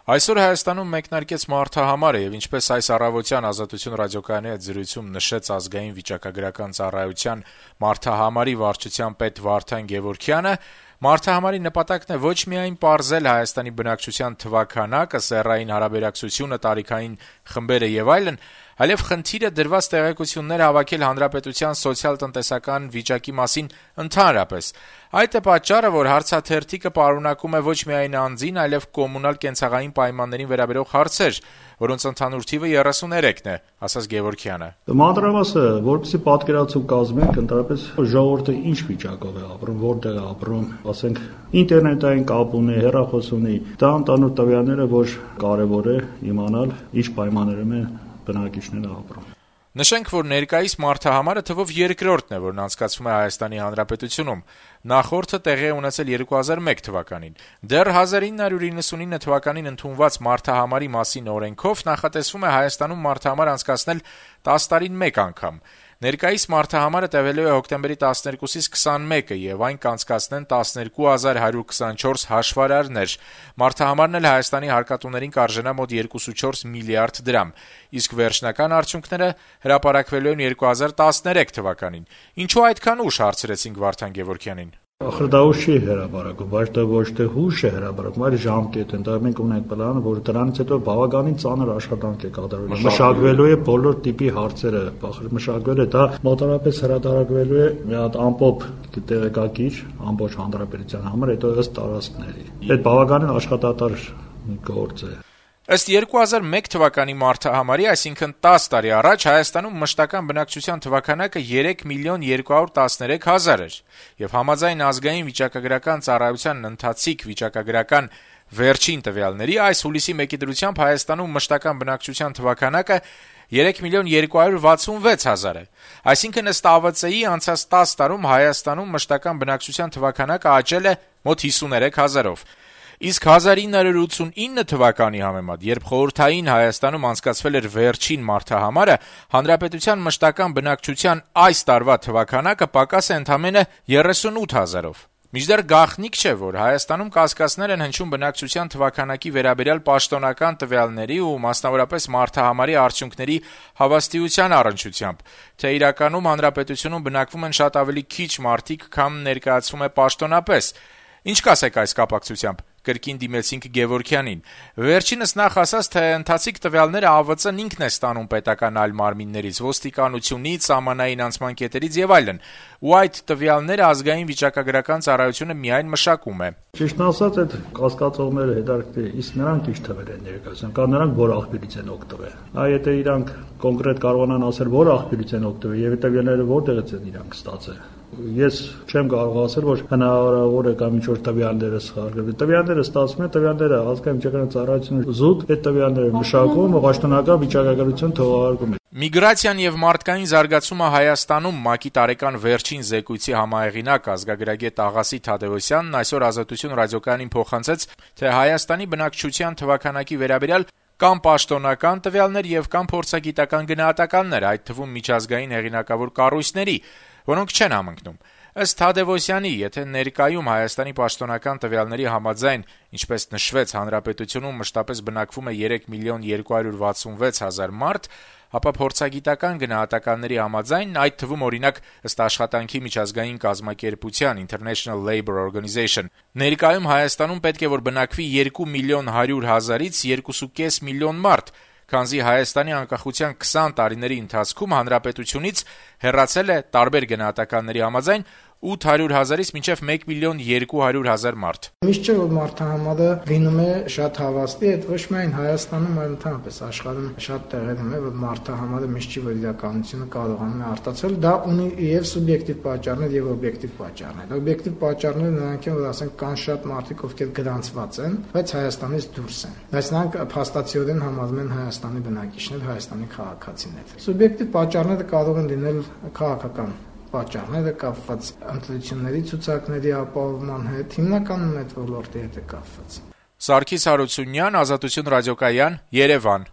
Այսօր Հայաստանում մեկնարկեց մարդահամարը եւ ինչպես այս առավոտյան Ազատություն ռադիոկայանի հետ զրույցում նշեց Ազգային վիճակագրական ծառայության մարդահամարի վարչության պետ Վարդան Գևորգյանը, մարդահամարի նպատակն է ոչ միայն պարզել Հայաստանի բնակչության թվաքանակը, սեռային հարաբերակցությունը, տարիքային խմբերը եւ այլն, այլև խնդիրը դրված տեղեկություններ հավաքել հանրապետության սոցիալ-տնտեսական վիճակի մասին ընդհանրապես։ Այդ է պատճառը, որ հարցաթերթիկը պարունակում է ոչ միայն անձին, այլև կոմունալ կենցաղային պայմաններին վերաբերող հարցեր, որոնց ընդհանուր թիվը 33-ն է, ասաց Գևորգյանը։ Մանրամասը, որպեսզի պատկերացում կազմենք, ընդհանրապես ժողովուրդը ինչ վիճակով է ապրում, որտեղ է ապրում, ասենք, ինտերնետային կապ ունի, հեռախոս ունի, դա ընդհանուր տվյալները, որ կարևոր է իմանալ, ինչ պայմաններում են բնակիչները ապրում։ Նշենք, որ ներկայիս մարդահամարը թվով երկրորդն է, որն անցկացվում է Հայաստանի Հանրապետությունում։ Նախորդը տեղի է ունեցել 2001 թվականին։ Դեռ 1999 թվականին ընդունված մարդահամարի մասին օրենքով նախատեսվում է Հայաստանում մարդահամար անցկացնել 10 տարին մեկ անգամ։ Ներկայիս մարդահամարը տևելու է հոկտեմբերի 12-ից 21-ը եւ այն կանցկացնեն 12124 հաշվարարներ։ Մարդահամարն էլ Հայաստանի հարկատուներին կարժենա մոտ 2.4 միլիարդ դրամ, իսկ վերջնական արդյունքները հրապարակվելու են 2013 թվականին։ Ինչու այդքան ուշ, հարցրեցինք Վարդան Գևորգյանին։ Ախր դա ուշ չի հրապարակում, բայց դա ոչ թե հուշ է հրապարակում, այլ ժամկետ են։ Դա մենք ունենք պլանը, որ դրանից հետո բավականին ծանր աշխատանք է կատարվել։ Մշակվելու է բոլոր տիպի հարցերը, մշակվել է դա մոտավորապես հրատարակվելու է մի հատ ամպոպ տեղեկակիր ամբողջ հանրապետության համար, հետո ըստ տարածքների։ Այդ բավականին աշխատատար գործ է։ Ըստ 2001 թվականի մարդահամարի, այսինքն 10 տարի առաջ Հայաստանում մշտական բնակչության թվաքանակը 3.213.000 էր, եւ համաձայն Ազգային վիճակագրական ծառայության ընթացիկ վիճակագրական վերջին տվյալների, այս հուլիսի 1-ի դրությամբ Հայաստանում մշտական բնակչության թվաքանակը 3.266.000 է։ Այսինքն ըստ ԱՎԾ-ի անցած 10 տարում Հայաստանում մշտական բնակչության թվաքանակը աճել է մոտ 53,000-ով։ Իսկ 1989 թվականի համեմատ, երբ խորհրդային Հայաստանում անցկացվել էր վերջին մարդահամարը, հանրապետության մշտական բնակչության այս տարվա թվաքանակը պակաս է ընդամենը 38,000-ով։ Մինչդեռ գաղտնիք չէ, որ Հայաստանում կասկածներ են հնչում բնակչության թվաքանակի վերաբերյալ պաշտոնական տվյալների ու մասնավորապես մարդահամարի արդյունքների հավաստիության առնչությամբ, թե իրականում հանրապետությունում բնակվում են շատ ավելի քիչ մարդիկ, քան ներկայացվում է պաշտոնապես։ Ինչ կասեք այս կապակցությամբ, կրկին դիմեցինք Գևորգյանին։ Վերջինս նախ ասաց, թե ընթացիկ տվյալները ԱՎԾ-ն ինքն է ստանում պետական այլ մարմիններից, ոստիկանությունից, սահմանային անցման կետերից եւ այլն, ու այդ տվյալները Ազգային վիճակագրական ծառայությունը միայն մշակում է։ Ճիշտն ասած, այդ կասկածողները հետաքրքիր է, իսկ նրանք ինչ թվեր են ներկայացնում, կամ նրանք որ աղբյուրից են օգտվել։ Եթե իրանք կոնկրետ կարողանան ասել, որ աղբյուրից են օգտվել եւ տվյալները որտեղից են իրանք ստացել։ Ես չեմ կարող ասել, որ հնարավոր է կամ ինչ-որ տվյալները սխալվել։ Տվյալները ստացվում են, տվյալները Ազգային վիճակագրական ծառայությունը զուտ այդ տվյալները մշակում, պաշտոնական վիճակագրություն թողարկում է։ Միգրացիան եւ մարդկային զարգացումը Հայաստանում ՄԱԿ-ի տարեկան վերջին զեկույցի համահեղինակ ազգագրագետ Աղասի Թադևոսյանն այսօր Ազատություն ռադիոկայանին փոխանցեց, թե Հայաստանի բնակչության թվաքանակի վերաբերյալ կամ պաշտոնական տվյալներ եւ կամ փորձագիտական գնահատականներ, այդ թվում միջազգային հեղինակավոր կառույցների, որոնք չեն համընկնում։ Ըստ Թադևոսյանի, եթե ներկայում Հայաստանի պաշտոնական տվյալների համաձայն, ինչպես նշվեց, հանրապետությունում մշտապես բնակվում է 3.266.000 մարդ, ապա փորձագիտական գնահատականների համաձայն, այդ թվում օրինակ ըստ աշխատանքի միջազգային կազմակերպության International Labour Organization, ներկայում Հայաստանում պետք է որ բնակվի 2.100.000-ից 2.5 միլիոն մարդ, քանզի Հայաստանի անկախության 20 տարիների ընթացքում հանրապետությունից հեռացել է տարբեր գնահատականների համաձայն 800,000-ից մինչև 1.200,000 մարդ։ Միշտ չէ որ մարդահամարը լինում է շատ հավաստի, այդ ոչ միայն Հայաստանում, այլ ընդհանրապես աշխարհում շատ տեղերում է, որ մարդահամարը միշտ չի որ իրականությունը կարողանում է արտացնել, դա ունի եւ սուբյեկտիվ պատճառներ եւ օբյեկտիվ պատճառներ։ Օբյեկտիվ պատճառները նրանք են, որ ասենք կան շատ մարդիկ, ովքեր գրանցված են, բայց Հայաստանից դուրս են։ Բայց նրանք փաստացիորեն համարվում են Հայաստանի բնակիչներ, Հայաստանի քաղաքացիներ։ Սուբյեկտիվ պատճառները կարող են լինել քաղաքական պատճառները կապված ընտրությունների ցուցակների ապահովման հետ, հիմնականում այդ ոլորտի հետ է կապված։ Սարգիս Հարությունյան, Ազատություն ռադիոկայան, Երևան։